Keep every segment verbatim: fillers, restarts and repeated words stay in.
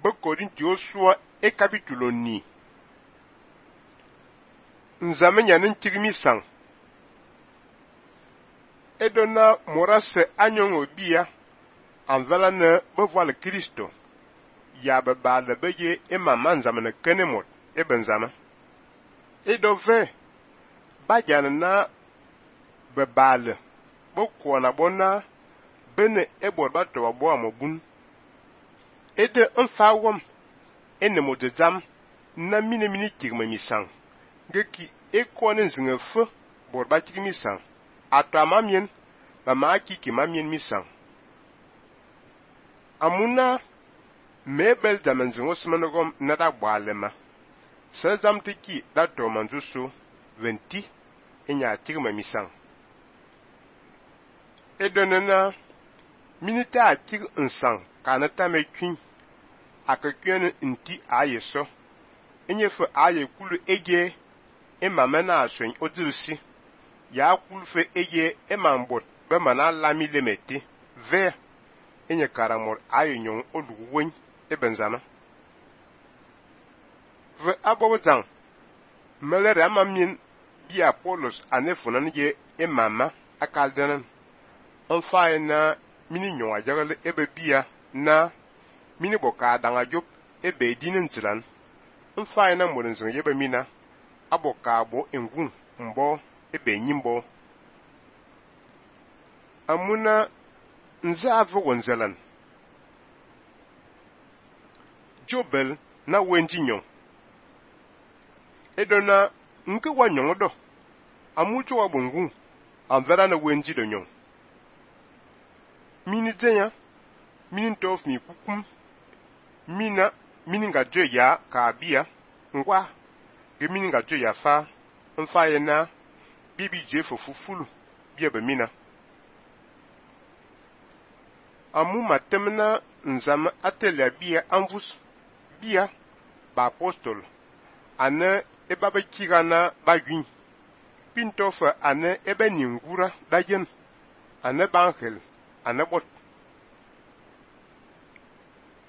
Be Korinti soi e capitulo ni. Nzame nyanin tigmi sang. Edona morase anyongo bia anvala ne bevoile Christo. Ya be ba le beye e mama nzame ne kenemot e benzama. Edove ba jana na be bale bo kona bona bene e borba to bo amobun. Ede mfawom ene modezam na mine mini tigma misang. Geki e kone nzinge fe borba tigmi sang. Ato amamien ba ma kiki mamien misang. Amuna mebel zaman zingo simanogom nada bwalema. Sa zam tiki da to manzusu venti enya tigma misang. Edonena minita a tig nsang kanata me kwin akakwen nti aye so enyefe aye kulu eje e mamana aswen odirisi ya kulu fe eje e mambot be mana lami lemeti ve enye karamor aye nyon oluwen e benzama ve abobozang melere amamien bi Apollos anefunan je e mama akaldanan onfaye na mini nyon ajagle ebe bia na mini boka danga job ebe dinin zilan onfaye na morin zing yebe mina aboka bo engun mbo ebe nyimbo amuna nza avogo nzelan jobel na wenji nyon edona nke wa nyon do amucho wa bongun anvera na wenji do nyon mini denya mini tof mi kukum mina mini nga dwe ya ka bia ngwa ge mini nga dwe ya fa mfa ye na bibi je fofufulu bia be mina amu matemna nzama atelia bia anvus bia ba apostol ane eba be kirana ba gwin pintofa ane ebe ningura dajen ane banghel ane bot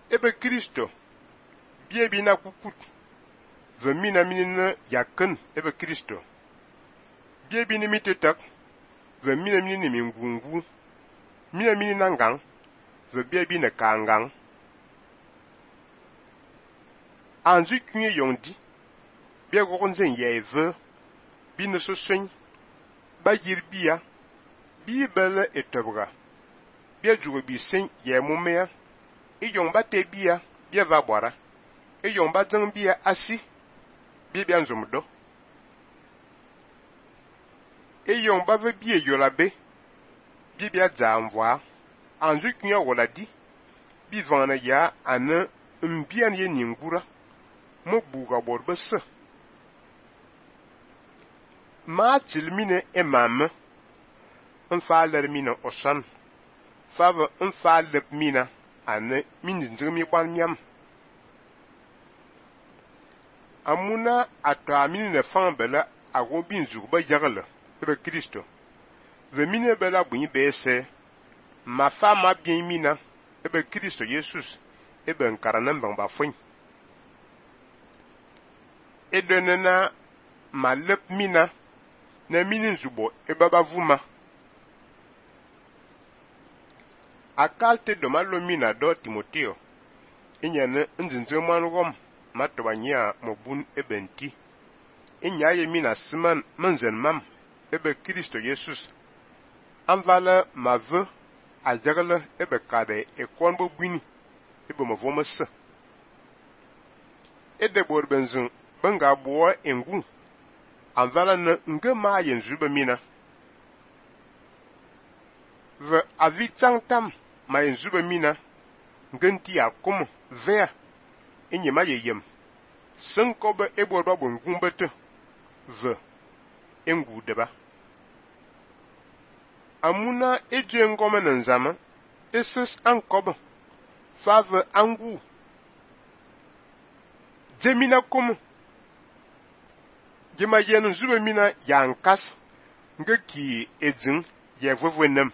ebe Kristo bie bi na kukut ve mina minina yaken ebe Kristo bie bi ni mitetak ve mina minini mingungu mina minina ngang ve bie bi na kangang anzu kunye yondi bie gogonzen yeve bi ne so swen ba yir bia bi bele etobra bia jugo bi sen ye mumea e yon ba te bia bia va bora e yon ba zang bia asi bia bia nzumdo e yon ba ve bia yolabe bia bia za mvoa anzu kunya wala di bi vana ya ane mbian ye ningura mo buga borbe se ma tilmine e mam mfa lermina osan fava mfa lep mina ane min nzirmi kwan miam amuna atwa min ne fan bela ago bin zurba yagle ebe Kristo ve mine bela bunyi bese ma fa ma bien mina ebe Kristo Jesus ebe nkaranan bang ba fun edenena ma lep mina na minin zubo ebe ba vuma akalte do malo mina do Timoteo inyane nzinze manugom matobanya mobun ebenti inyaye mina siman manzen mam ebe Kristo Jesus anvala mave ajagle ebe kade e konbo bwini ebe mavomese ede borbenzun banga boa engu anvala na ngema yenzu be mina ve avitang tam ma yenzu be mina ngenti akum vea enyema yeyem senkobe eborba bongumbete ve engu deba amuna eje ngome na nzama eses ankobe fave angu jemina kum jema yen zube mina yankas ngeki edzin ye vovwenem